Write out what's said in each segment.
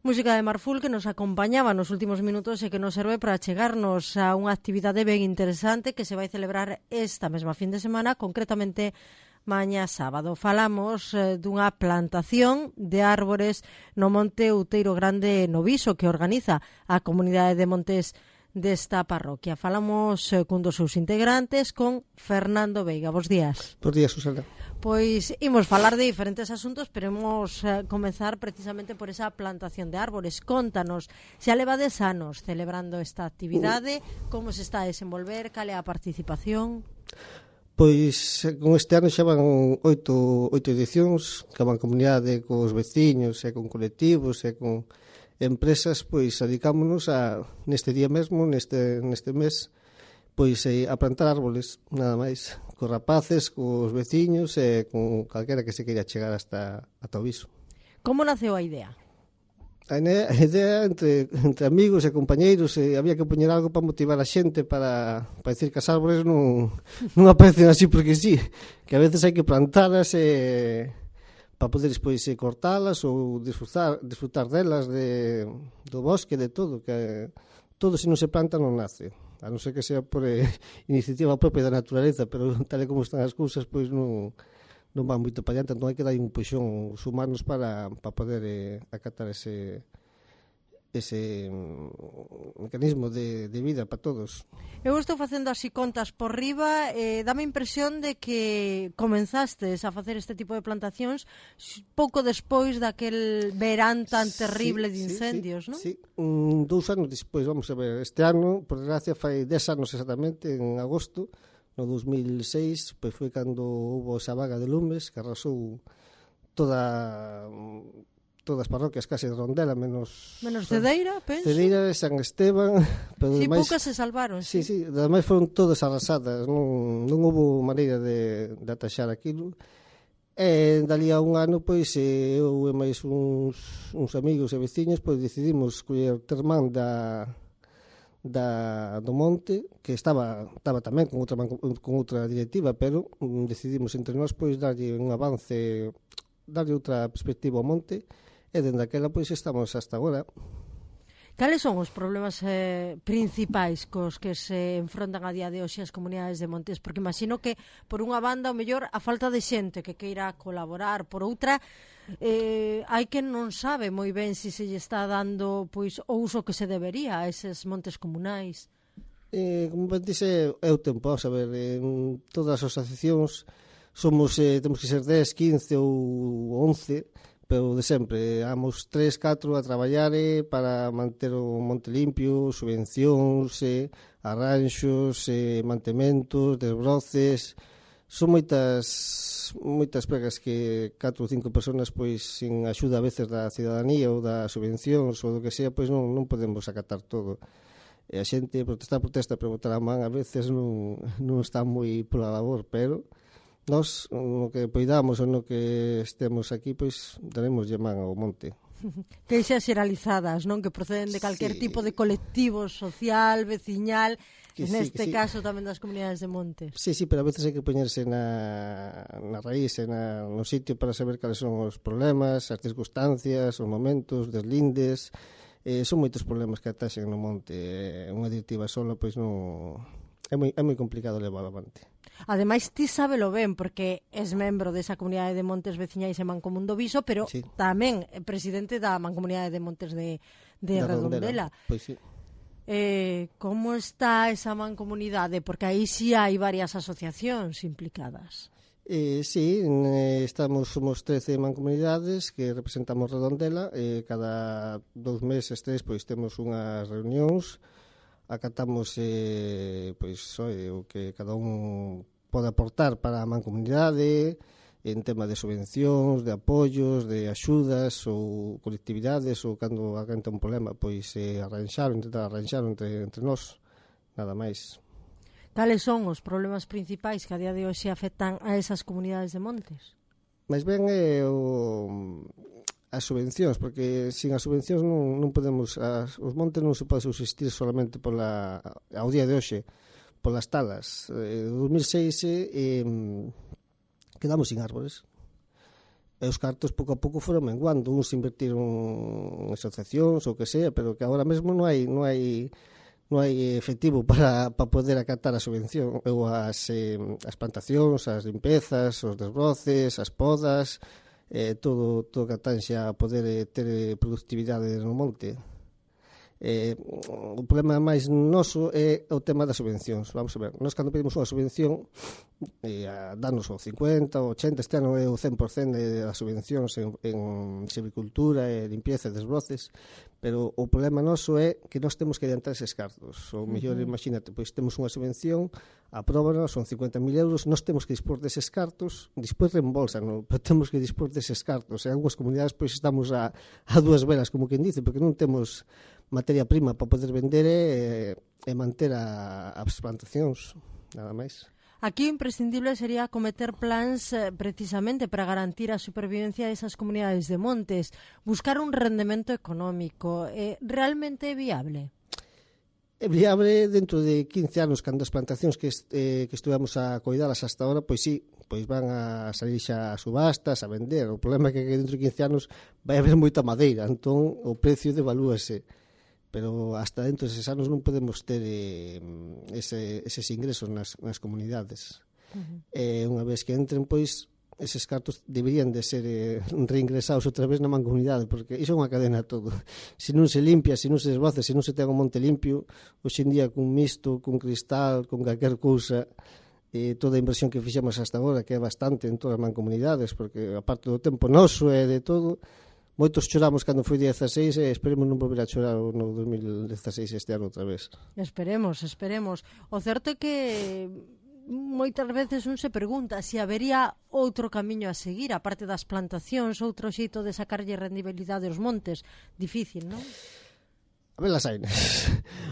Música de Marful que nos acompañaba nos últimos minutos e que nos serve para chegarnos a unha actividade ben interesante que se vai celebrar esta mesma fin de semana, concretamente mañá sábado. Falamos dunha plantación de árbores no Monte Outeiro Grande no Viso que organiza a comunidade de montes desta parroquia. Falamos cun dos seus integrantes, con Fernando Veiga. Bos días. Bos días, Susana. Pois imos falar de diferentes asuntos, pero imos comezar precisamente por esa plantación de árbores. Contanos, xa levades anos celebrando esta actividade, como se está a desenvolver, cal é a participación? Pois con este ano xa van oito edicións, que van comunidade cos veciños e con colectivos e con empresas, pois dedicámonos neste día mesmo, neste mes, pois a plantar árboles, nada máis, cos rapaces, cos veciños e con calquera que se queira chegar ata o Viso. Como naceu a idea? A idea entre amigos e compañeiros, había que poñer algo para motivar a xente para decir que as árboles non aparecen así porque sí, que a veces hai que plantalas para poder despois cortalas ou disfrutar delas, do bosque, de todo, que todo se non se planta non nace, a non ser que sea por iniciativa propia da naturaleza, pero tal e como están as cousas, pois non van moito para adiante, entón hai que dar un puxón os humanos para poder acatar ese mecanismo de vida para todos. Eu estou facendo así contas por riba, dame a impresión de que comenzastes a facer este tipo de plantacións pouco despois daquel verán tan terrible de incendios, non? Sí, 2 anos despois, vamos a ver, este ano, por desgracia, fai 10 anos exactamente, en agosto, no 2006, pois foi cando houve esa vaga de lumes que arrasou todas as parroquias case de Rondela, menos Cedeira, penso. Cedeira e San Esteban, pero sí, demais, poucas se salvaron. Sí, ademais foron todas arrasadas, non houve maneira de ataxar aquilo. E dali a un ano, pois, eu e máis uns amigos e veciños, pois decidimos coller termán do monte, que estaba tamén con outra directiva, pero decidimos entre nós pois darlle un avance, darlle outra perspectiva ao monte, e dende aquela pois estamos hasta agora. Cales son os problemas principais cos que se enfrontan a día de hoxe as comunidades de montes? Porque imagino que, por unha banda, o mellor, a falta de xente que queira colaborar, por outra, hai que non sabe moi ben se lle está dando pois o uso que se debería a eses montes comunais. Como ben dice, é o tempo, a ver, en todas as asociacións temos que ser 10, 15 ou 11, pero de sempre, vamos 3, 4 a traballar para manter o monte limpio, subvencións, arranxos, mantementos, desbroces. Son moitas pregas que 4 ou 5 personas, pois, sin axuda a veces da cidadanía ou das subvencións ou do que sea, pois non podemos acatar todo. E a xente protesta, pero botar a man a veces non está moi pola labor, pero nós, no que poidamos ou no que estemos aquí, pois daremos man ao monte. Queixas xeralizadas, non? Que proceden de calquer tipo de colectivo social, veciñal, neste caso tamén das comunidades de montes. Sí, pero a veces hai que poñerse na raíz, no sitio para saber cales son os problemas, as circunstancias, os momentos, deslindes. Son moitos problemas que ataxen no monte. Unha directiva sola, pois non... É moi complicado levar avante. Ademais, ti sábelo ben, porque és membro desa comunidade de montes veciñais e Mancomún do Viso, pero tamén é presidente da Mancomunidade de Montes de Redondela. Pois sí. Como está esa mancomunidade? Porque aí sí hai varias asociacións implicadas. Sí, somos 13 mancomunidades que representamos Redondela, cada 2 meses, 3, pois temos unhas reunións, acatamos o que cada un pode aportar para a mancomunidade en tema de subvencións, de apoios, de axudas ou colectividades, ou cando aganta un problema, pois intentar arranxar entre nós, nada máis. Cales son os problemas principais que a día de hoxe afectan a esas comunidades de montes? Mais ben as subvencións, porque sin as subvencións non podemos, os montes non se pode subsistir solamente ao día de hoxe polas talas. En 2006 quedamos sin árbores. E os cartos pouco a pouco foron menguando, uns invertiron en asociacións ou que sea, pero que agora mesmo non hai efectivo para poder acatar a subvención ou as plantacións, as limpezas, os desbroces, as podas, todo que atanxa a poder ter productividade no monte. O problema máis noso é o tema das subvencións. Vamos a ver, nós cando pedimos unha subvención danos o 50, o 80, este ano é o 100% das subvencións en silvicultura, limpieza e desbroces, pero o problema noso é que nós temos que adiantar eses cartos. O mellor, imagínate, pois temos unha subvención, apróbanos, son 50.000 euros, nós temos que dispor deses cartos, despois reembolsan, pero temos que dispor deses cartos. En algunhas comunidades pois estamos a dúas velas, como quen dice, porque non temos materia prima para poder vender e manter as plantacións, nada máis. Aquí o imprescindible sería acometer plans precisamente para garantir a supervivencia desas comunidades de montes, buscar un rendemento económico. Realmente é viable? É viable dentro de 15 anos, cando as plantacións que estuvemos a coidalas hasta ahora, pois sí, pois van a salir xa a subastas, a vender. O problema é que dentro de 15 anos vai haber moita madeira, entón o precio devalúase. Pero hasta dentro deses anos non podemos ter eses ingresos nas comunidades. Unha vez que entren, pois, eses cartos deberían de ser reingresados outra vez na mancomunidade, porque iso é unha cadena todo. Se non se limpia, se non se desbroza, se non se ten o monte limpio, hoxe en día cun misto, cun cristal, con calquer cousa, toda a inversión que fixemos hasta agora, que é bastante en todas as mancomunidades, porque a parte do tempo noso e de todo, moitos choramos cando foi 16 e esperemos non volver a chorar no 2016 este ano outra vez. Esperemos. O certo é que moitas veces un se pregunta se habería outro camiño a seguir, aparte das plantacións, outro xeito de sacarlle rendibilidade aos montes. Difícil, non? A ver las ainas.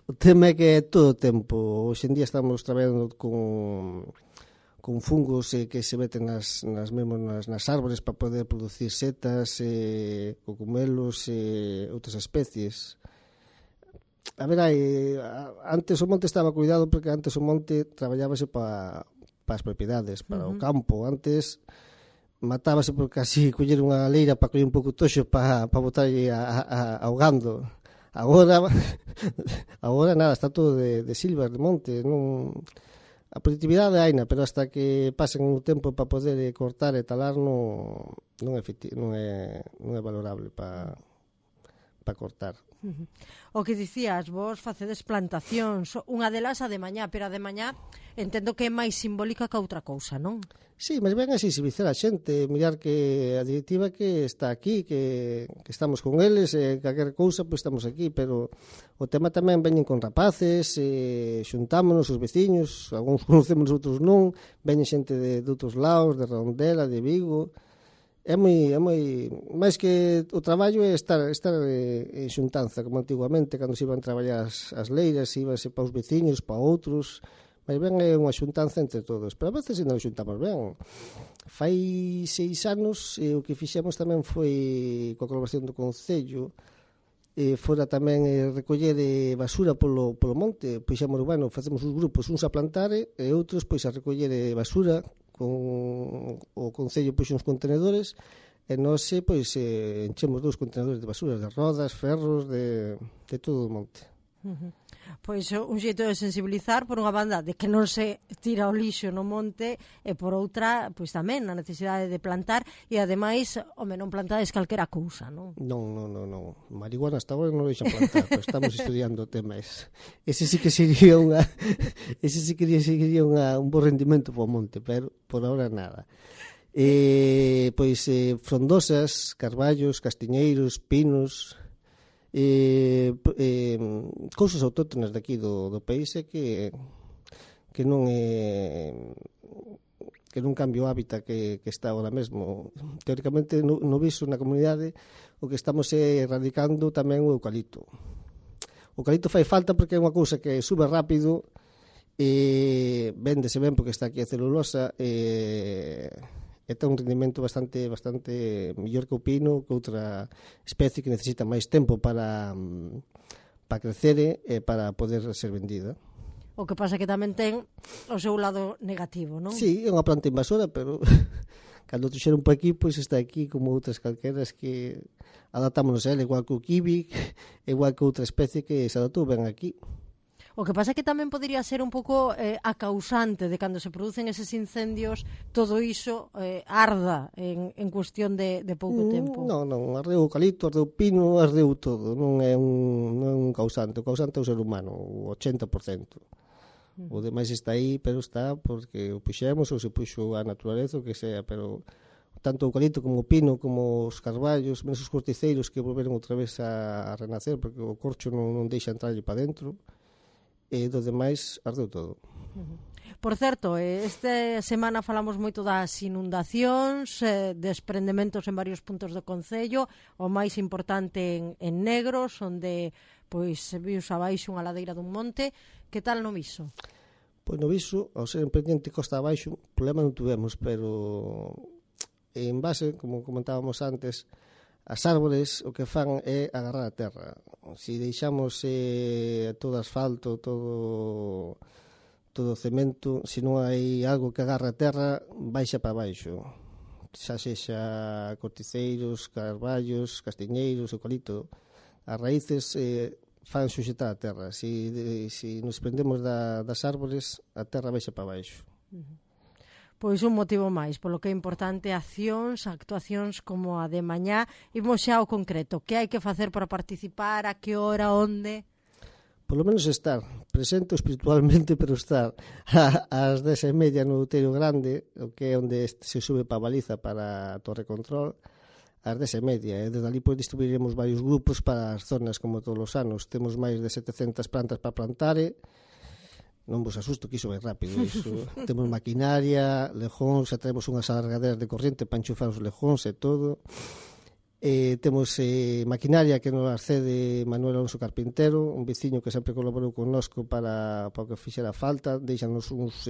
O tema é que todo o tempo. Hoxe en día estamos traballando con fungos que se meten nas árbores para poder producir setas, cogumelos e outras especies. A ver, antes o monte estaba cuidado porque antes o monte traballábase para as propiedades, para o campo. Antes matábase por casi coller unha leira para coller un pouco toxo para botarlle ahogando. Agora nada, está todo de silva, de monte, non... A productividade haina, pero hasta que pasen un tempo para poder cortar e talar non é valorable para cortar. O que dicías, vos facedes plantacións, unha delas a de mañá, pero a de mañá entendo que é máis simbólica que outra cousa, non? Sí, mas ben a sensibilizar a xente, mirar que a directiva que está aquí, que estamos con eles, calquer cousa, pois estamos aquí, pero o tema tamén veñen con rapaces, xuntámonos os veciños, algúns conocemos, outros non, veñen xente de outros lados, de Redondela, de Vigo. É moi máis que o traballo é estar en xuntanza, como antigamente, cando se iban traballar as leiras, íbanse para os veciños, para outros, mas ben é unha xuntanza entre todos, pero a veces non xuntamos ben. Fai 6 anos o que fixemos tamén foi coa colaboración do Concello, fora tamén recoller basura polo monte, pois xa bueno, facemos os grupos, uns a plantar e outros pois a recoller basura, con o Concello pois uns contenedores e nós pois enchemos 2 contenedores de basura, de rodas, ferros, de todo o monte. Pois un xeito de sensibilizar por unha banda de que non se tira o lixo no monte e por outra, pois tamén a necesidade de plantar e ademais, non plantades calquera cousa, non? Non. Marihuana hasta agora non deixan plantar, pero estamos estudiando temas. Ese sí que sería un bo rendimento para o monte, pero por ahora nada. Frondosas, carballos, castiñeiros, pinos, cousas autóctonas daqui do país que non cambia o hábitat que está agora mesmo. Teóricamente no viso na comunidade o que estamos erradicando tamén o eucalipto. O eucalipto fai falta porque é unha cousa que sube rápido e véndese ben porque está aquí a celulosa e ten un rendimento bastante mellor que o pino, que outra especie que necesita máis tempo para crecer e para poder ser vendida. O que pasa que tamén ten o seu lado negativo, non? Sí, é unha planta invasora, pero cando tuxeron por aquí, pois está aquí como outras calqueras que adaptámonos a ela, igual que o kiwi, igual que outra especie que se adaptou ben aquí. O que pasa é que tamén podría ser un pouco a causante de cando se producen eses incendios, todo iso arda en cuestión de pouco tempo. Non, ardeu o eucalipto, ardeu o pino, ardeu todo, non é un causante, o causante é o ser humano, o 80%. O demais está aí, pero está porque o puxemos ou se puxo a naturaleza, o que sea, pero tanto o eucalipto como o pino, como os carballos, menos os corticeiros que volveron outra vez a renacer, porque o corcho non deixa entrarlle para dentro, e do demais ardeu todo. Por certo, esta semana falamos moito das inundacións, desprendementos en varios puntos do concello, o máis importante en Negros, onde pois se vius abaixo unha ladeira dun monte. Que tal no Viso? Pois no Viso, ao ser en pendiente costa abaixo, problema non tuvemos, pero en base, como comentábamos antes, as árbores o que fan é agarrar a terra. Se deixamos todo asfalto, todo cemento, se non hai algo que agarra a terra, baixa para baixo. Xa sexa corticeiros, carballos, castiñeiros, eucalipto. As raíces fan suxetar a terra. Se nos prendemos das árbores, a terra baixa para baixo. Pois un motivo máis, polo que é importante actuacións como a de mañá. Imos xa ao concreto, que hai que facer para participar, a que hora, onde? Por lo menos estar presente espiritualmente, pero estar ás 10:30 no Outeiro Grande, o que é onde se sube para a baliza para a torre control, ás 10:30, e desde ali pois distribuiremos varios grupos para as zonas como todos os anos. Temos máis de 700 plantas para plantar, non vos asusto que iso vai rápido, iso. Temos maquinaria, lejóns, xa traemos unhas alargaderas de corriente para enchufar os lejóns e todo. Temos maquinaria que nos accede Manuel Alonso Carpintero, un veciño que sempre colaborou connosco para o que fixera falta. Deixanos uns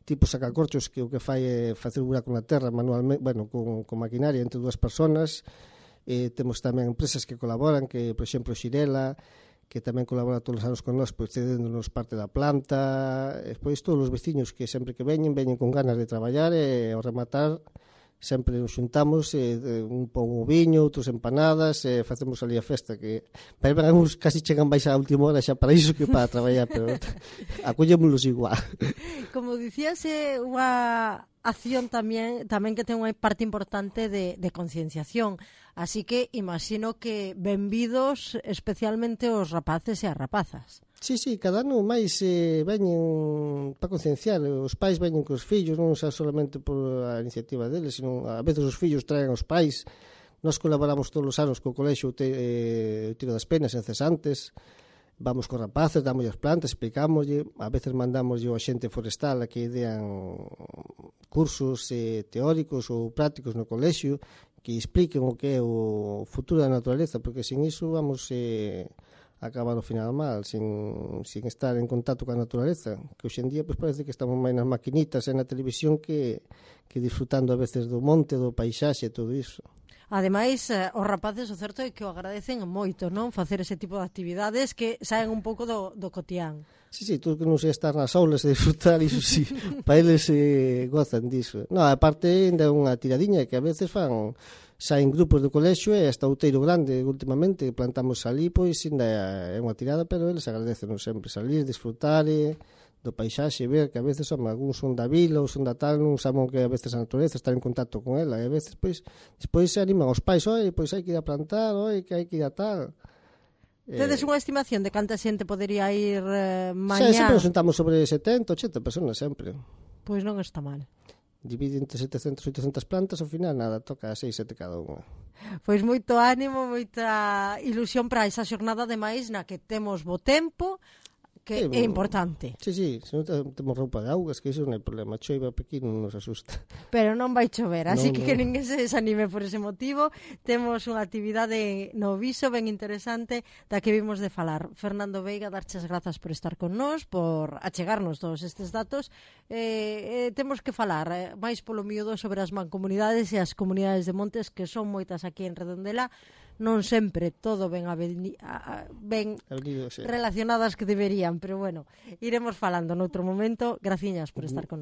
tipos sacacorchos que o que fai é facer un buraco na terra manualmente, bueno, con maquinaria entre dúas personas. Temos tamén empresas que colaboran, que, por exemplo, Xirela, que tamén colabora todos os anos con nós, pois cedéndonos parte da planta. Pois todos os veciños que sempre que veñen con ganas de traballar, e ao rematar sempre nos xuntamos, un pon o viño, outros empanadas, facemos ali a festa, que para uns casi chegan baixa a última hora xa para iso que para traballar, pero acollémonos igual. Como dicías, unha acción tamén que ten unha parte importante de concienciación, así que imagino que benvidos especialmente os rapaces e as rapazas. Sí, cada ano máis veñen para concienciar. Os pais veñen cos fillos, non xa solamente por a iniciativa deles, sino a veces os fillos traen aos pais. Nós colaboramos todos os anos co colexio Tiro das Penas en Cesantes. Vamos cos rapaces, damos as plantas, explicámoslle, a veces mandamos ao xente forestal a que idean cursos teóricos ou prácticos no colexio que expliquen o que é o futuro da naturaleza, porque sin iso vamos acabar ao final mal, sin estar en contacto coa naturaleza, que hoxe en día pues, parece que estamos máis nas maquinitas e na televisión que disfrutando a veces do monte, do paisaxe e todo iso. Ademais, os rapaces o certo é que o agradecen moito, non? Facer ese tipo de actividades que saen un pouco do cotián. Sí, todo que non sei estar nas aulas e disfrutar, iso sí, para eles gozan diso. Non, aparte, ainda é unha tiradiña que a veces saen grupos do colexio e hasta Outeiro Grande últimamente plantamos ali, pois ainda é unha tirada, pero eles agradecen sempre salir, disfrutar do paisaxe, ver que a veces algúns son da vila ou son da tal, non saben que a veces a naturaleza, estar en contacto con ela, e a veces pois despois se animan os pais, pois hai que ir a plantar, que hai que ir a tal. Tedes unha estimación de canta xente podería ir mañá? Sempre nos sentamos sobre 70, 80 personas sempre. Pois non está mal. Divide entre 700 e 800 plantas, ao final nada, toca 6, 7 cada unha. Pois moito ánimo, moita ilusión para esa xornada de máis na que temos bo tempo, que é importante. Sí, se non temos roupa de augas, que iso non hai problema, choiva aquí non nos asusta. Pero non vai chover, así que ninguén se desanime por ese motivo. Temos unha actividade no Viso ben interesante da que vimos de falar. Fernando Veiga, darches grazas por estar con nós, por achegarnos todos estes datos. Temos que falar máis polo miúdo sobre as mancomunidades e as comunidades de montes, que son moitas aquí en Redondela. Non sempre todo ben relacionadas que deberían, pero bueno, iremos falando noutro momento. Graciñas por estar con nós.